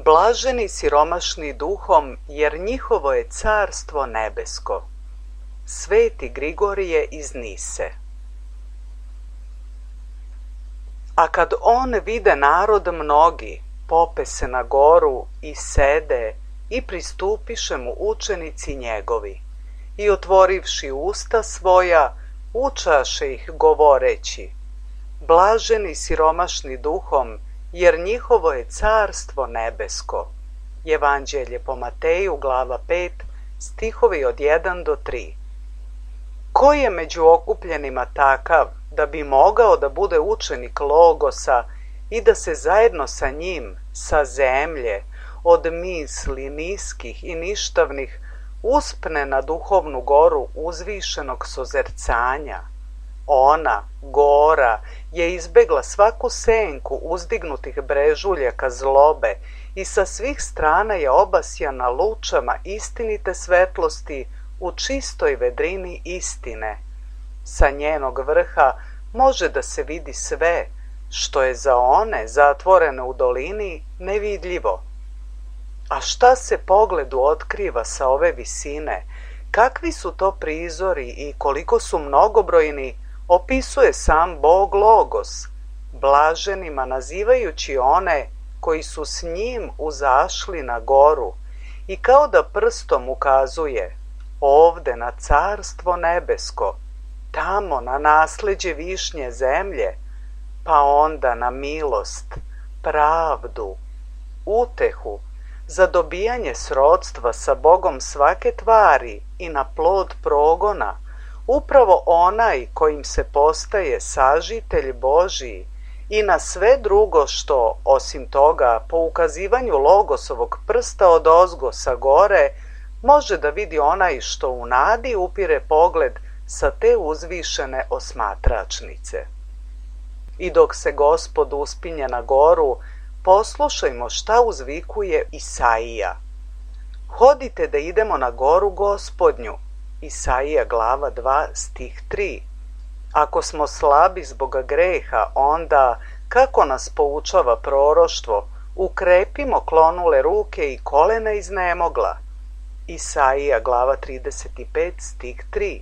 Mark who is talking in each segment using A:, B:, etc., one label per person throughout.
A: Blaženi siromašni duhom, jer njihovo je carstvo nebesko. Sveti Grigorije iz Nise. A kad on vide narod mnogi, pope se na goru i sede i pristupiše mu učenici njegovi. I otvorivši usta svoja, učaše ih govoreći: Blaženi siromašni duhom, jer njihovo je carstvo nebesko. Evanđelje po Mateju, glava 5, stihovi od 1 do 3. Ko je među okupljenima takav da bi mogao da bude učenik Logosa i da se zajedno sa njim, sa zemlje, od misli niskih i ništavnih, uspne na duhovnu goru uzvišenog sozercanja? Ona, gora, je izbegla svaku senku uzdignutih brežuljaka zlobe i sa svih strana je obasjana lučama istinite svetlosti u čistoj vedrini istine. Sa njenog vrha može da se vidi sve, što je za one zatvorene u dolini nevidljivo. A šta se pogledu otkriva sa ove visine, kakvi su to prizori i koliko su mnogobrojni, opisuje sam Bog Logos, blaženima nazivajući one koji su s njim uzašli na goru i kao da prstom ukazuje: ovde na carstvo nebesko, tamo na nasleđe višnje zemlje, pa onda na milost, pravdu, utehu, za dobijanje srodstva sa Bogom svake tvari i na plod progona, upravo onaj kojim se postaje sažitelj Božiji, i na sve drugo što, osim toga, po ukazivanju Logosovog prsta odozgo sa gore, može da vidi onaj što u nadi upire pogled sa te uzvišene osmatračnice. I dok se Gospod uspinje na goru, poslušajmo šta uzvikuje Isaija. Hodite da idemo na goru Gospodnju. Isaija glava 2 stih 3. Ako smo slabi zbog greha, onda, kako nas poučava proroštvo, ukrepimo klonule ruke i kolena iznemogla. Isaija glava 35 stih 3.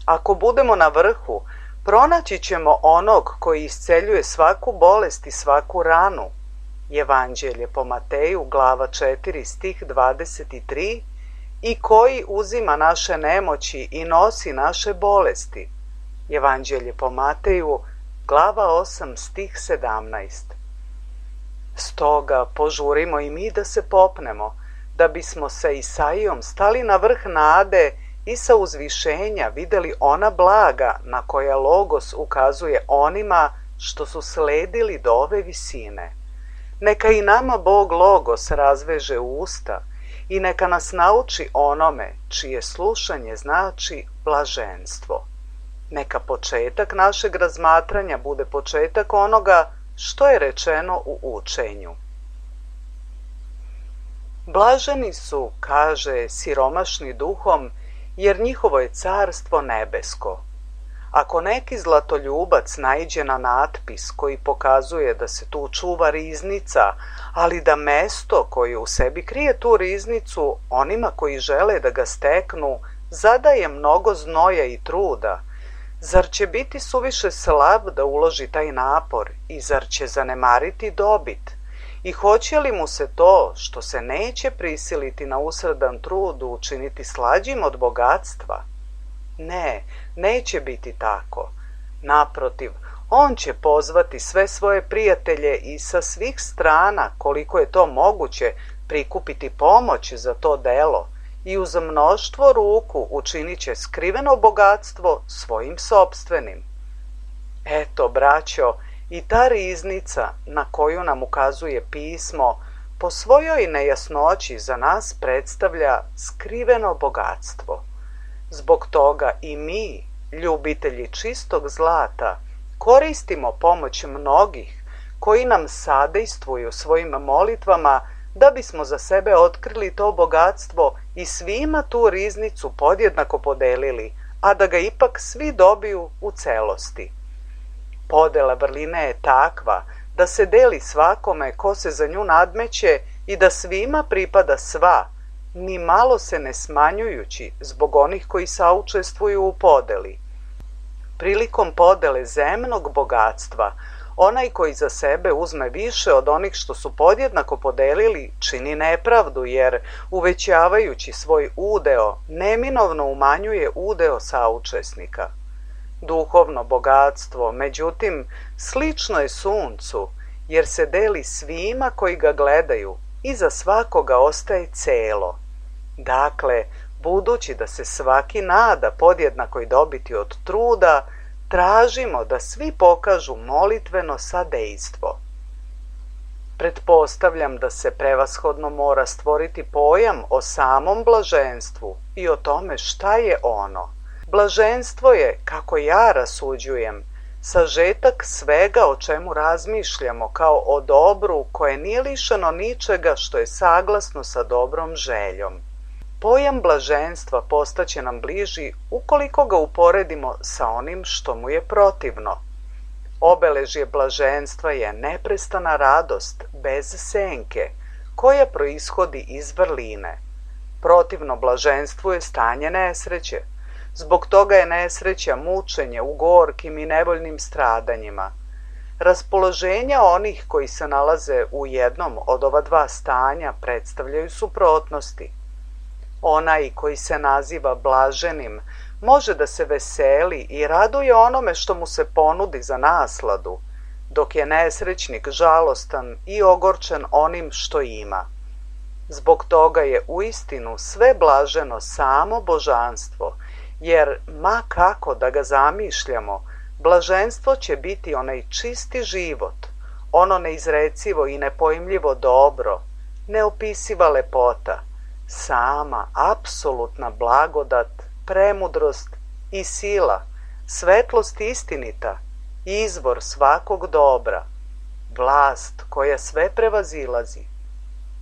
A: Ako budemo na vrhu, pronaći ćemo onog koji isceljuje svaku bolest i svaku ranu. Evanđelje po Mateju glava 4 stih 23. I koji uzima naše nemoći i nosi naše bolesti. Evanđelje po Mateju glava 8 stih 17. Stoga požurimo i mi da se popnemo, da bismo sa Isaijom stali na vrh nade i sa uzvišenja videli ona blaga na koja Logos ukazuje onima što su sledili do ove visine. Neka i nama Bog Logos razveže usta i neka nas nauči onome čije slušanje znači blaženstvo. Neka početak našeg razmatranja bude početak onoga što je rečeno u učenju. Blaženi su, kaže, siromašni duhom, jer njihovo je carstvo nebesko. Ako neki zlatoljubac naiđe na natpis koji pokazuje da se tu čuva riznica, ali da mesto koje u sebi krije tu riznicu onima koji žele da ga steknu zadaje mnogo znoja i truda, zar će biti suviše slab da uloži taj napor i zar će zanemariti dobit? I hoće li mu se to, što se neće prisiliti na usredan trud, učiniti slađim od bogatstva? Ne, neće biti tako. Naprotiv, on će pozvati sve svoje prijatelje i sa svih strana, koliko je to moguće, prikupiti pomoć za to delo i uz mnoštvo ruku učinit će skriveno bogatstvo svojim sopstvenim. Eto, braćo, i ta riznica na koju nam ukazuje pismo po svojoj nejasnoći za nas predstavlja skriveno bogatstvo. Zbog toga i mi, ljubitelji čistog zlata, koristimo pomoć mnogih koji nam sadejstvuju svojim molitvama da bismo za sebe otkrili to bogatstvo i svima tu riznicu podjednako podelili, a da ga ipak svi dobiju u celosti. Podela vrline je takva da se deli svakome ko se za nju nadmeće i da svima pripada sva, ni malo se ne smanjujući zbog onih koji saučestvuju u podeli. Prilikom podele zemnog bogatstva, onaj koji za sebe uzme više od onih što su podjednako podelili, čini nepravdu, jer uvećavajući svoj udeo, neminovno umanjuje udeo saučesnika. Duhovno bogatstvo, međutim, slično je suncu, jer se deli svima koji ga gledaju i za svakoga ostaje celo. Dakle, budući da se svaki nada podjednakoj dobiti od truda, tražimo da svi pokažu molitveno sadejstvo. Pretpostavljam da se prevashodno mora stvoriti pojam o samom blaženstvu i o tome šta je ono. Blaženstvo je, kako ja rasuđujem, sažetak svega o čemu razmišljamo kao o dobru koje nije lišeno ničega što je saglasno sa dobrom željom. Pojam blaženstva postaće nam bliži ukoliko ga uporedimo sa onim što mu je protivno. Obeležje blaženstva je neprestana radost bez senke, koja proishodi iz vrline. Protivno blaženstvu je stanje nesreće. Zbog toga je nesreća mučenje u gorkim i nevoljnim stradanjima. Raspoloženja onih koji se nalaze u jednom od ova dva stanja predstavljaju suprotnosti. Onaj koji se naziva blaženim može da se veseli i raduje onome što mu se ponudi za nasladu, dok je nesrećnik žalostan i ogorčen onim što ima. Zbog toga je uistinu sve blaženo samo božanstvo, jer ma kako da ga zamišljamo, blaženstvo će biti onaj čisti život, ono neizrecivo i nepojmljivo dobro, neopisiva lepota, sama apsolutna blagodat, premudrost i sila, svetlost istinita, izvor svakog dobra, vlast koja sve prevazilazi,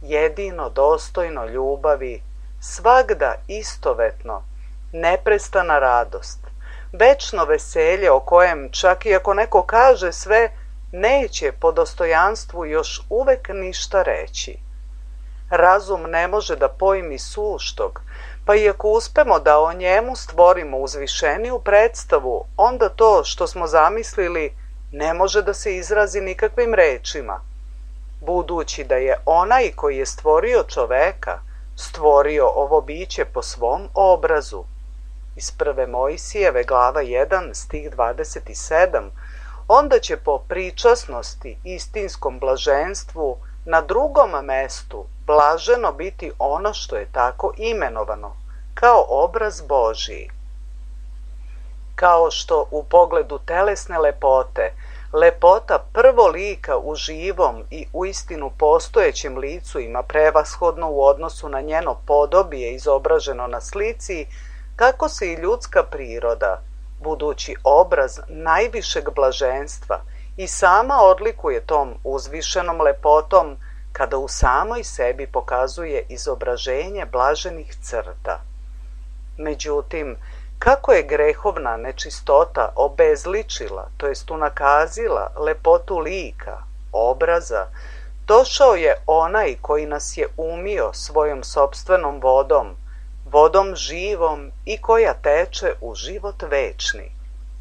A: jedino dostojno ljubavi, svagda istovetno, neprestana radost, večno veselje o kojem čak i ako neko kaže sve, neće po dostojanstvu još uvek ništa reći. Razum ne može da pojmi suštog, pa i ako uspemo da o njemu stvorimo uzvišeniju predstavu, onda to što smo zamislili ne može da se izrazi nikakvim rečima. Budući da je onaj koji je stvorio čoveka, stvorio ovo biće po svom obrazu. Iz prve Mojsijeve glava 1 stih 27, onda će po pričasnosti istinskom blaženstvu na drugom mestu blaženo biti ono što je tako imenovano, kao obraz Božiji. Kao što u pogledu telesne lepote, lepota prvo lika u živom i uistinu postojećem licu ima prevashodno u odnosu na njeno podobije izobraženo na slici, tako se i ljudska priroda, budući obraz najvišeg blaženstva, i sama odlikuje tom uzvišenom lepotom kada u samoj sebi pokazuje izobraženje blaženih crta. Međutim, kako je grehovna nečistota obezličila, to jest unakazila lepotu lika, obraza, došao je onaj koji nas je umio svojom sopstvenom vodom, vodom živom i koja teče u život večni.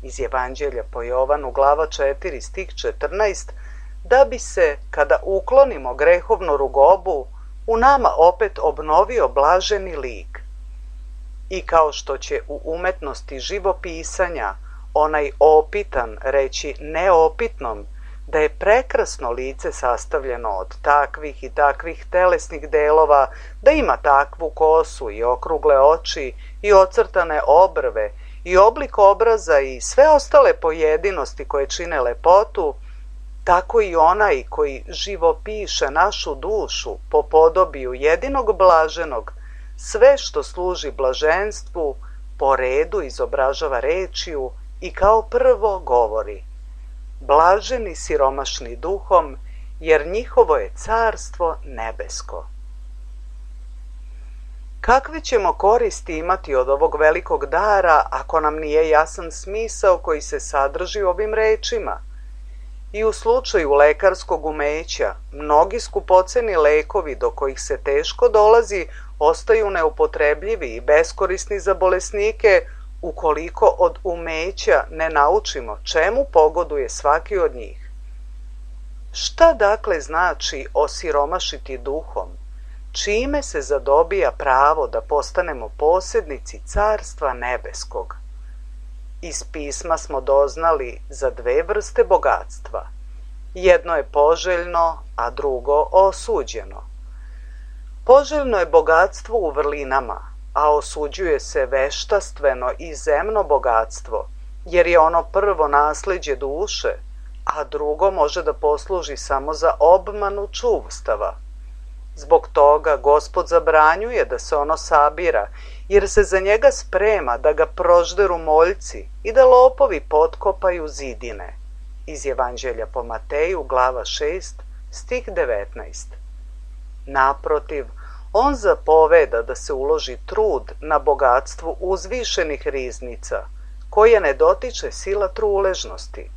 A: Iz Evanđelja po Jovanu glava 4 stih 14, da bi se, kada uklonimo grehovnu rugobu, u nama opet obnovio blaženi lik. I kao što će u umetnosti živopisanja onaj opitan reći neopitnom da je prekrasno lice sastavljeno od takvih i takvih telesnih delova, da ima takvu kosu i okrugle oči i ocrtane obrve i oblik obraza i sve ostale pojedinosti koje čine lepotu, tako i onaj koji živopiše našu dušu po podobiju jedinog blaženog, sve što služi blaženstvu po redu izobražava rečju i kao prvo govori: blaženi siromašni duhom, jer njihovo je carstvo nebesko. Kakve ćemo koristi imati od ovog velikog dara ako nam nije jasan smisao koji se sadrži u ovim rečima? I u slučaju lekarskog umeća, mnogi skupoceni lekovi do kojih se teško dolazi ostaju neupotrebljivi i beskorisni za bolesnike ukoliko od umeća ne naučimo čemu pogoduje svaki od njih. Šta dakle znači osiromašiti duhom? Čime se zadobija pravo da postanemo posjednici Carstva nebeskog? Iz pisma smo doznali za dve vrste bogatstva. Jedno je poželjno, a drugo osuđeno. Poželjno je bogatstvo u vrlinama, a osuđuje se veštastveno i zemno bogatstvo, jer je ono prvo nasleđe duše, a drugo može da posluži samo za obmanu čuvstava. Zbog toga Gospod zabranjuje da se ono sabira, jer se za njega sprema da ga prožderu moljci i da lopovi potkopaju zidine. Iz Evanđelja po Mateju, glava 6, stih 19. Naprotiv, on zapoveda da se uloži trud na bogatstvu uzvišenih riznica, koje ne dotiče sila truležnosti.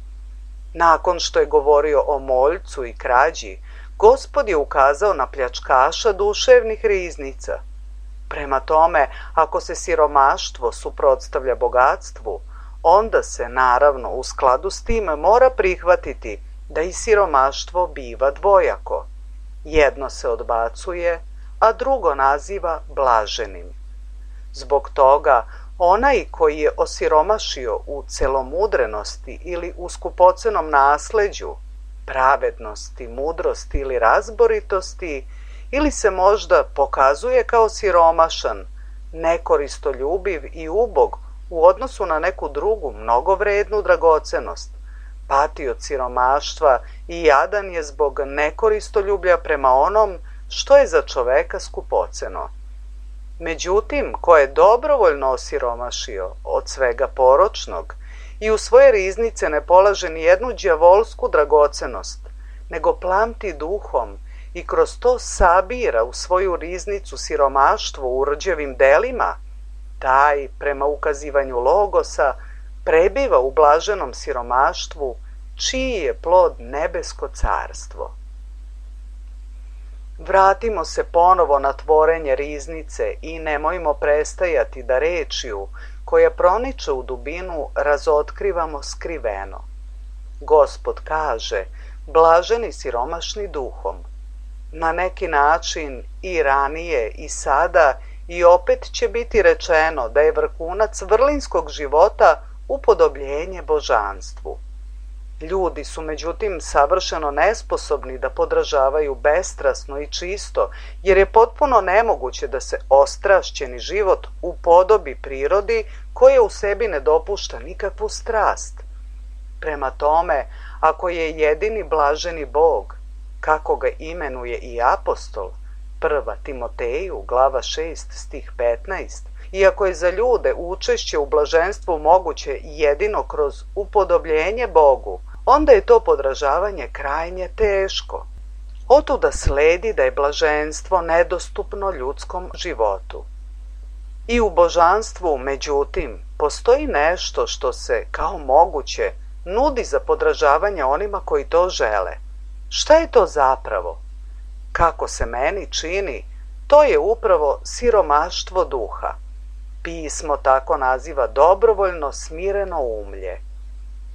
A: Nakon što je govorio o moljcu i krađi, Gospod je ukazao na pljačkaša duševnih riznica. Prema tome, ako se siromaštvo suprotstavlja bogatstvu, onda se, naravno, u skladu s tim mora prihvatiti da i siromaštvo biva dvojako. Jedno se odbacuje, a drugo naziva blaženim. Zbog toga, onaj koji je osiromašio u celomudrenosti ili u skupocenom nasleđu, pravednosti, mudrosti ili razboritosti, ili se možda pokazuje kao siromašan, nekoristoljubiv i ubog u odnosu na neku drugu mnogovrednu dragocenost, pati od siromaštva i jadan je zbog nekoristoljublja prema onom što je za čoveka skupoceno. Međutim, ko je dobrovoljno osiromašio od svega poročnog i u svoje riznice ne polaže ni jednu đavolsku dragocenost, nego plamti duhom i kroz to sabira u svoju riznicu siromaštvo u rđevim delima, taj, prema ukazivanju Logosa, prebiva u blaženom siromaštvu, čiji je plod nebesko carstvo. Vratimo se ponovo na tvorenje riznice i nemojmo prestajati da rečju, koja proniče u dubinu, razotkrivamo skriveno. Gospod kaže, blaženi siromašni duhom. Na neki način i ranije i sada i opet će biti rečeno da je vrhunac vrlinskog života upodobljenje božanstvu. Ljudi su međutim savršeno nesposobni da podražavaju bestrasno i čisto, jer je potpuno nemoguće da se ostrašćeni život upodobi prirodi koja u sebi ne dopušta nikakvu strast. Prema tome, ako je jedini blaženi Bog, kako ga imenuje i apostol, 1. Timoteju, glava 6, stih 15, iako je za ljude učešće u blaženstvu moguće jedino kroz upodobljenje Bogu, onda je to podražavanje krajnje teško. Otuda sledi da je blaženstvo nedostupno ljudskom životu. I u božanstvu, međutim, postoji nešto što se, kao moguće, nudi za podražavanje onima koji to žele. Šta je to zapravo? Kako se meni čini, to je upravo siromaštvo duha. Pismo tako naziva dobrovoljno smireno umlje.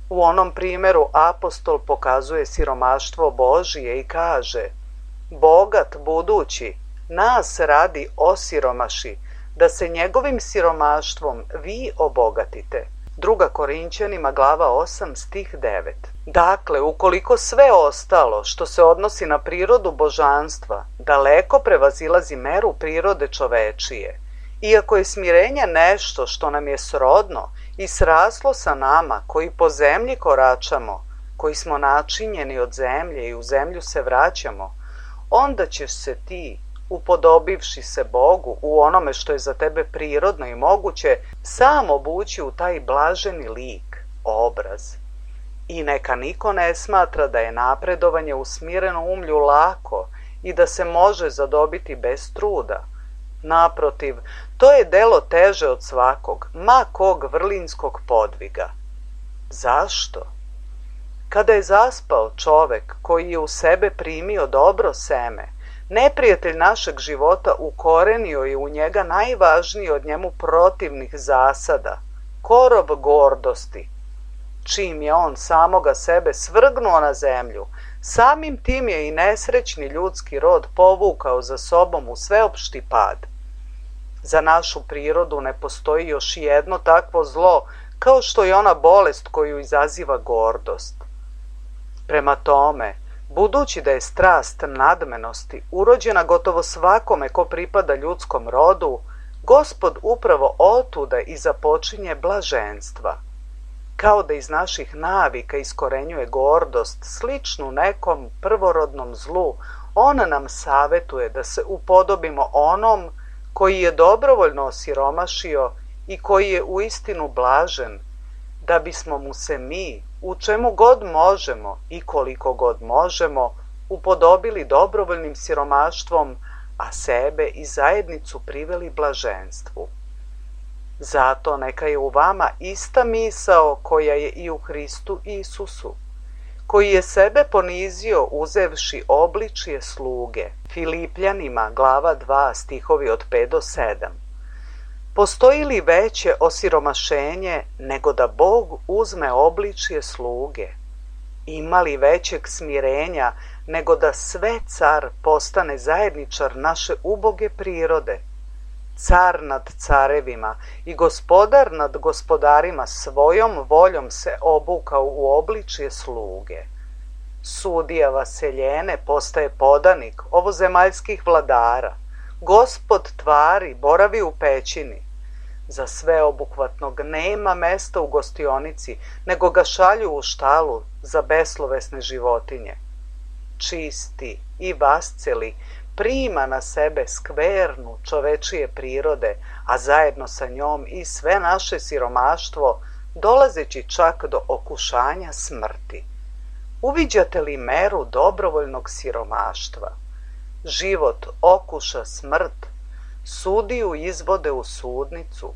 A: U onom primjeru apostol pokazuje siromaštvo Božije i kaže: bogat budući, nas radi osiromaši, da se njegovim siromaštvom vi obogatite. 2. Korinćanima, glava 8, stih 9. Dakle, ukoliko sve ostalo što se odnosi na prirodu božanstva daleko prevazilazi meru prirode čovečije, iako je smirenje nešto što nam je srodno i sraslo sa nama koji po zemlji koračamo, koji smo načinjeni od zemlje i u zemlju se vraćamo, onda ćeš se ti, upodobivši se Bogu u onome što je za tebe prirodno i moguće, sam obući u taj blaženi lik, obraz. I neka niko ne smatra da je napredovanje u smirenom umlju lako i da se može zadobiti bez truda. Naprotiv, to je delo teže od svakog, ma kog vrlinskog podviga. Zašto? Kada je zaspao čovek koji je u sebe primio dobro seme, neprijatelj našeg života ukorenio je u njega najvažniji od njemu protivnih zasada, korov gordosti. Čim je on samoga sebe svrgnuo na zemlju, samim tim je i nesrećni ljudski rod povukao za sobom u sveopšti pad. Za našu prirodu ne postoji još jedno takvo zlo kao što je ona bolest koju izaziva gordost. Prema tome, budući da je strast nadmenosti urođena gotovo svakome ko pripada ljudskom rodu, Gospod upravo otuda i započinje blaženstva. Kao da iz naših navika iskorenjuje gordost, sličnu nekom prvorodnom zlu, on nam savetuje da se upodobimo onom koji je dobrovoljno osiromašio i koji je uistinu blažen, da bismo mu se mi, u čemu god možemo i koliko god možemo, upodobili dobrovoljnim siromaštvom, a sebe i zajednicu priveli blaženstvu. Zato neka je u vama ista misao koja je i u Hristu Isusu, koji je sebe ponizio uzevši obličje sluge. Filipljanima glava 2 stihovi od 5 do 7. Postoji li veće osiromašenje nego da Bog uzme obličje sluge? Ima li većeg smirenja nego da sve car postane zajedničar naše uboge prirode? Car nad carevima i gospodar nad gospodarima svojom voljom se obukao u obličje sluge. Sudija vaseljene postaje podanik ovozemaljskih vladara. Gospod tvari boravi u pećini. Za sveobuhvatnog nema mesta u gostionici, nego ga šalju u štalu za beslovesne životinje. Čisti i vasceli prima na sebe skvernu čovečije prirode, a zajedno sa njom i sve naše siromaštvo, dolazeći čak do okušanja smrti. Uviđate li meru dobrovoljnog siromaštva? Život okuša smrt, sudiju izvode u sudnicu.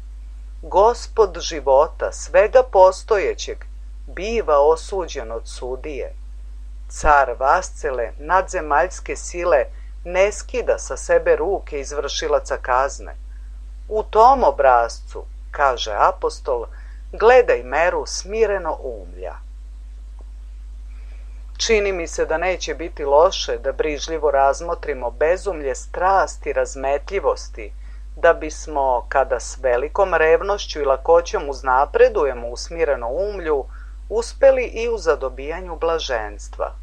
A: Gospod života, svega postojećeg, biva osuđen od sudije. Car vascele nadzemaljske sile ne skida sa sebe ruke izvršilaca kazne. U tom obrazcu, kaže apostol, gledaj meru smireno umlja. Čini mi se da neće biti loše da brižljivo razmotrimo bezumlje strasti i razmetljivosti, da bismo, kada s velikom revnošću i lakoćom uznapredujemo u smireno umlju, uspeli i u zadobijanju blaženstva.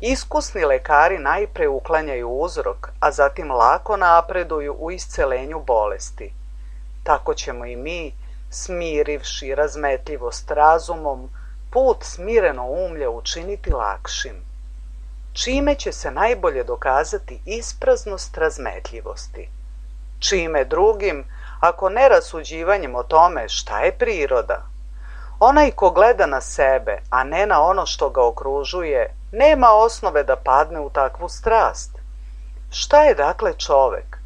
A: Iskusni lekari najpre uklanjaju uzrok, a zatim lako napreduju u iscelenju bolesti. Tako ćemo i mi, smirivši razmetljivost razumom, put smireno umlja učiniti lakšim. Čime će se najbolje dokazati ispraznost razmetljivosti? Čime drugim, ako ne rasuđivanjem o tome šta je priroda? Onaj ko gleda na sebe, a ne na ono što ga okružuje, nema osnove da padne u takvu strast. Šta je dakle čovek?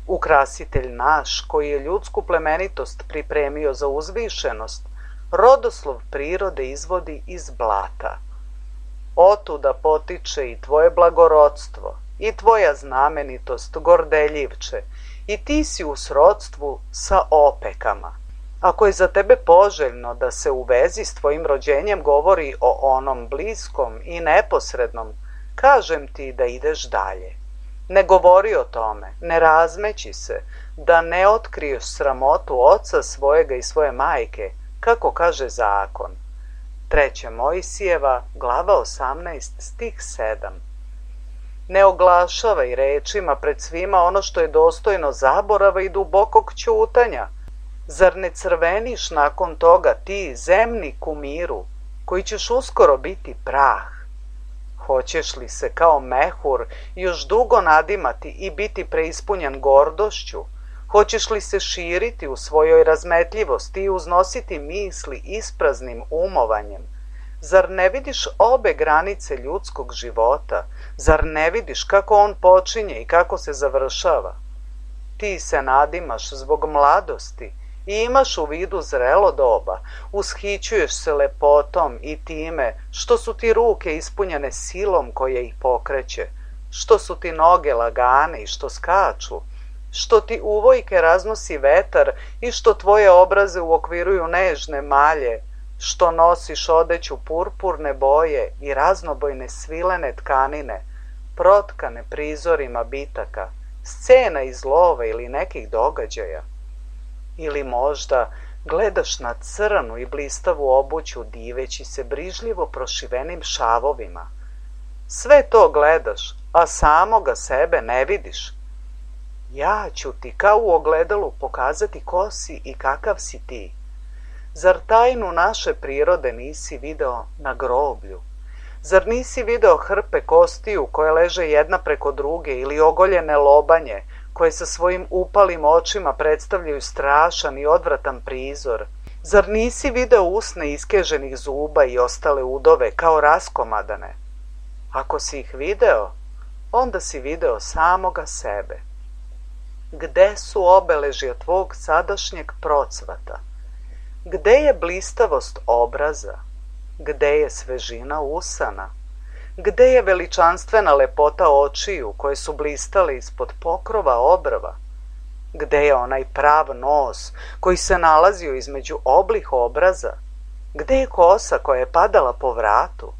A: Ukrasitelj naš, koji je ljudsku plemenitost pripremio za uzvišenost, rodoslov prirode izvodi iz blata. Otuda potiče i tvoje blagorodstvo, i tvoja znamenitost, gordeljivče, i ti si u srodstvu sa opekama. Ako je za tebe poželjno da se u vezi s tvojim rođenjem govori o onom bliskom i neposrednom, kažem ti da ideš dalje. Ne govori o tome, ne razmeći se, da ne otkriješ sramotu oca svojega i svoje majke, kako kaže zakon. 3. Mojsijeva, glava 18, stih 7. Ne oglašavaj rečima pred svima ono što je dostojno zaborava i dubokog ćutanja. Zar ne crveniš nakon toga ti, zemni kumiru, koji ćeš uskoro biti prah? Hoćeš li se kao mehur još dugo nadimati i biti preispunjen gordošću? Hoćeš li se širiti u svojoj razmetljivosti i uznositi misli ispraznim umovanjem? Zar ne vidiš obe granice ljudskog života? Zar ne vidiš kako on počinje i kako se završava? Ti se nadimaš zbog mladosti i imaš u vidu zrelo doba, ushićuješ se lepotom i time što su ti ruke ispunjene silom koja ih pokreće, što su ti noge lagane i što skaču, što ti uvojke raznosi vetar i što tvoje obraze uokviruju nežne malje, što nosiš odeću purpurne boje i raznobojne svilene tkanine, protkane prizorima bitaka, scena iz lova ili nekih događaja. Ili možda gledaš na crnu i blistavu obuću diveći se brižljivo prošivenim šavovima. Sve to gledaš, a samoga sebe ne vidiš. Ja ću ti kao u ogledalu pokazati ko si i kakav si ti. Zar tajnu naše prirode nisi video na groblju? Zar nisi video hrpe kostiju koje leže jedna preko druge ili ogoljene lobanje koje sa svojim upalim očima predstavljaju strašan i odvratan prizor? Zar nisi video usne iskeženih zuba i ostale udove kao raskomadane? Ako si ih video, onda si video samoga sebe. Gde su obeležja tvog sadašnjeg procvata? Gde je blistavost obraza? Gde je svežina usana? Gde je veličanstvena lepota očiju koje su blistale ispod pokrova obrva? Gde je onaj prav nos koji se nalazio između oblih obraza? Gde je kosa koja je padala po vratu?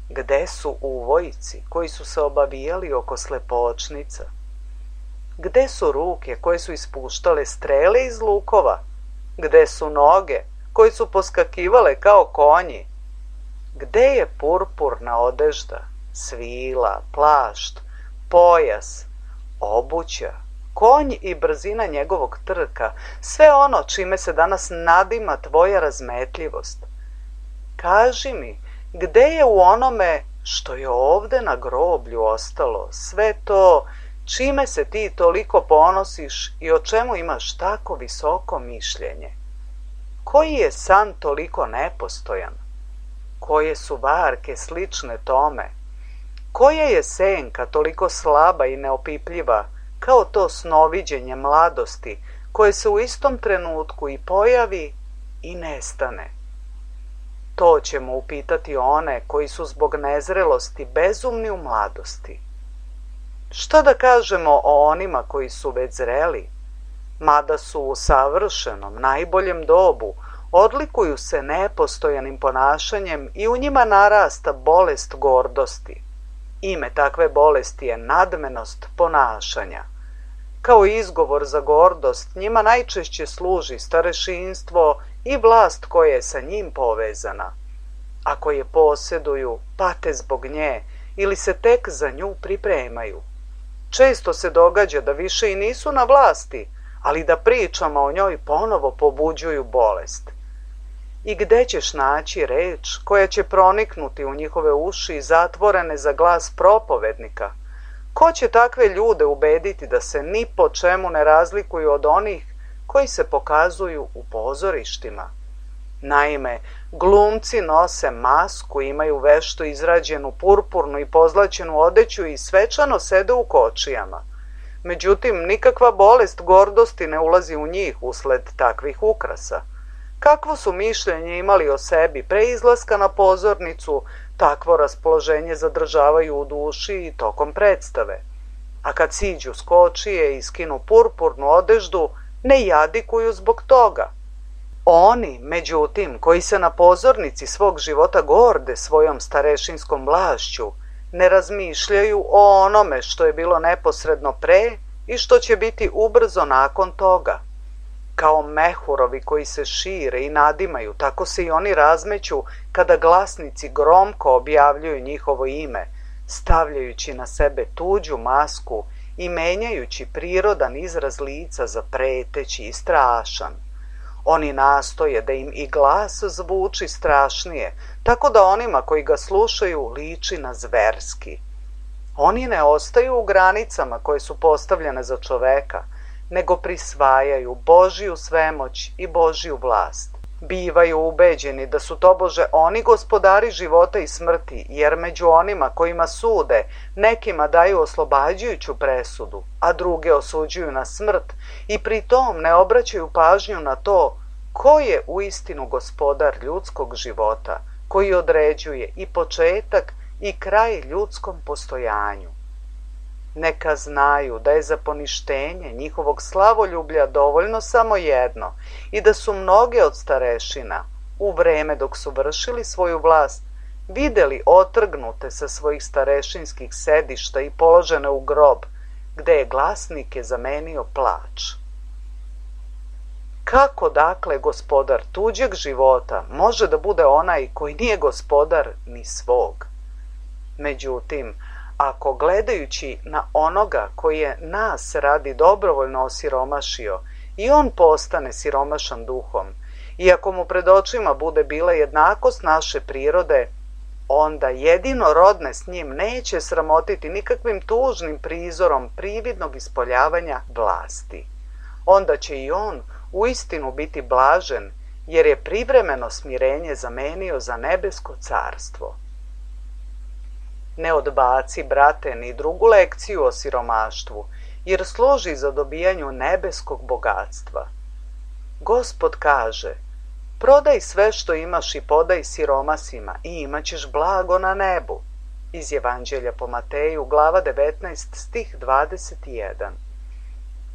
A: Gde su uvojci koji su se obavijali oko slepočnica? Gde su ruke koje su ispuštale strele iz lukova? Gde su noge koje su poskakivale kao konji? Gde je purpurna odežda, svila, plašt, pojas, obuća, konj i brzina njegovog trka, sve ono čime se danas nadima tvoja razmetljivost? Kaži mi, gde je u onome što je ovde na groblju ostalo sve to čime se ti toliko ponosiš i o čemu imaš tako visoko mišljenje? Koji je san toliko nepostojan? Koje su varke slične tome? Koja je senka toliko slaba i neopipljiva kao to snoviđenje mladosti koje se u istom trenutku i pojavi i nestane? To ćemo upitati one koji su zbog nezrelosti bezumni u mladosti. Šta da kažemo o onima koji su već zreli? Mada su u savršenom, najboljem dobu, odlikuju se nepostojanim ponašanjem i u njima narasta bolest gordosti. Ime takve bolesti je nadmenost ponašanja. Kao izgovor za gordost njima najčešće služi starešinstvo i vlast koja je sa njim povezana. Ako je posjeduju, pate zbog nje ili se tek za nju pripremaju. Često se događa da više i nisu na vlasti, ali da pričama o njoj ponovo pobuđuju bolest. I gde ćeš naći reč koja će proniknuti u njihove uši zatvorene za glas propovednika? Ko će takve ljude ubediti da se ni po čemu ne razlikuju od onih koji se pokazuju u pozorištima? Naime, glumci nose masku, imaju vešto izrađenu purpurnu i pozlaćenu odeću i svečano sede u kočijama. Međutim, nikakva bolest gordosti ne ulazi u njih usled takvih ukrasa. Kakvo su mišljenje imali o sebi pre izlaska na pozornicu, takvo raspoloženje zadržavaju u duši i tokom predstave. A kad siđu s kočije i skinu purpurnu odeždu, ne jadikuju zbog toga. Oni, međutim, koji se na pozornici svog života gorde svojom starešinskom vlašću, ne razmišljaju o onome što je bilo neposredno pre i što će biti ubrzo nakon toga. Kao mehurovi koji se šire i nadimaju, tako se i oni razmeću kada glasnici gromko objavljuju njihovo ime, stavljajući na sebe tuđu masku i menjajući prirodan izraz lica za preteći i strašan. Oni nastoje da im i glas zvuči strašnije, tako da onima koji ga slušaju liči na zverski. Oni ne ostaju u granicama koje su postavljene za čoveka, nego prisvajaju Božiju svemoć i Božiju vlast. Bivaju ubeđeni da su tobože oni gospodari života i smrti, jer među onima kojima sude, nekima daju oslobađajuću presudu, a druge osuđuju na smrt i pri tom ne obraćaju pažnju na to ko je uistinu gospodar ljudskog života, koji određuje i početak i kraj ljudskom postojanju. Neka znaju da je za poništenje njihovog slavoljublja dovoljno samo jedno i da su mnoge od starešina, u vreme dok su vršili svoju vlast, videli otrgnute sa svojih starešinskih sedišta i položene u grob, gde je glasnike zamenio plač. Kako dakle gospodar tuđeg života može da bude onaj koji nije gospodar ni svog? Međutim, ako gledajući na onoga koji je nas radi dobrovoljno osiromašio i on postane siromašan duhom, i ako mu pred očima bude bila jednakost naše prirode, onda jedino rodne s njim neće sramotiti nikakvim tužnim prizorom prividnog ispoljavanja vlasti. Onda će i on uistinu biti blažen, jer je privremeno smirenje zamenio za nebesko carstvo. Ne odbaci, brate, ni drugu lekciju o siromaštvu, jer služi za dobijanju nebeskog bogatstva. Gospod kaže, prodaj sve što imaš i podaj siromasima i imaćeš blago na nebu. Iz Evanđelja po Mateju, glava 19, stih 21.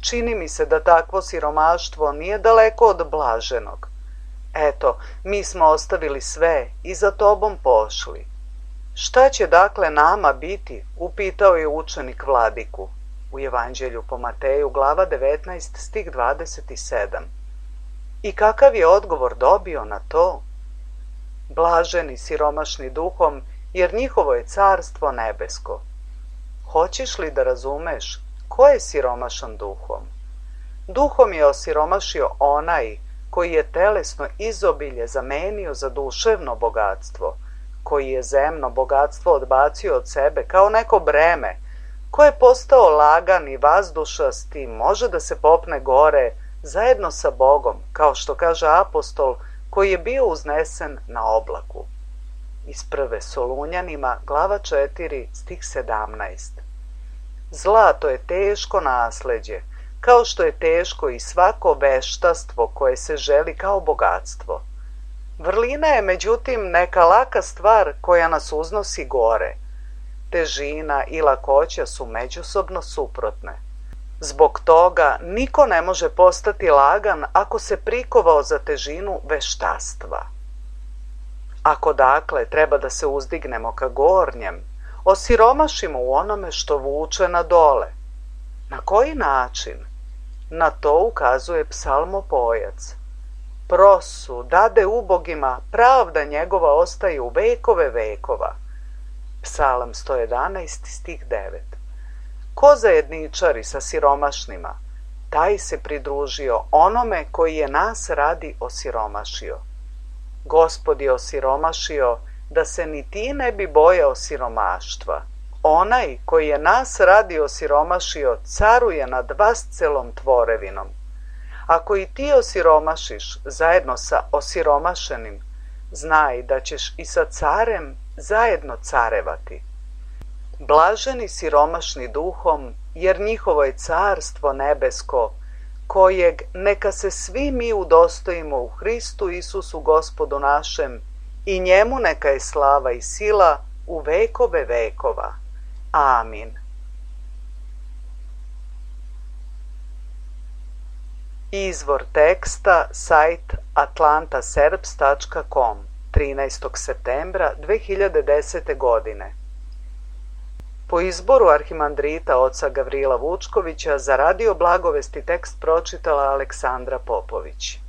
A: Čini mi se da takvo siromaštvo nije daleko od blaženog. Eto, mi smo ostavili sve i za tobom pošli. Šta će dakle nama biti? Upitao je učenik vladiku. U Evanđelju po Mateju, glava 19, stih 27. I kakav je odgovor dobio na to? Blaženi siromašni duhom, jer njihovo je carstvo nebesko. Hoćeš li da razumeš ko je siromašan duhom? Duhom je osiromašio onaj koji je telesno izobilje zamenio za duševno bogatstvo, koji je zemno bogatstvo odbacio od sebe kao neko breme, ko je postao lagan i vazdušast i može da se popne gore zajedno sa Bogom, kao što kaže apostol koji je bio uznesen na oblaku. Iz prve Solunjanima, glava 4, stih 17. Zlato je teško nasleđe, kao što je teško i svako veštastvo koje se želi kao bogatstvo. Vrlina je međutim neka laka stvar koja nas uznosi gore. Težina i lakoća su međusobno suprotne. Zbog toga niko ne može postati lagan ako se prikovao za težinu veštastva. Ako dakle treba da se uzdignemo ka gornjem, osiromašimo u onome što vuče na dole. Na koji način? Na to ukazuje psalmopojac. Prosu dade ubogima, pravda njegova ostaje u vekove vekova. Psalam 111, stih 9. Ko zajedničari sa siromašnima, taj se pridružio onome koji je nas radi osiromašio. Gospod je osiromašio da se ni ti ne bi bojao siromaštva. Onaj koji je nas radi osiromašio caruje nad vascelom tvorevinom. Ako i ti osiromašiš zajedno sa osiromašenim, znaj da ćeš i sa carem zajedno carevati. Blaženi siromašni duhom, jer njihovo je carstvo nebesko, kojeg neka se svi mi udostojimo u Hristu Isusu Gospodu našem, i njemu neka je slava i sila u vekove vekova. Amin. Izvor teksta sajt atlantaserbs.com 13. septembra 2010. godine. Po izboru arhimandrita oca Gavrila Vučkovića za Radio Blagovesti tekst pročitala Aleksandra Popović.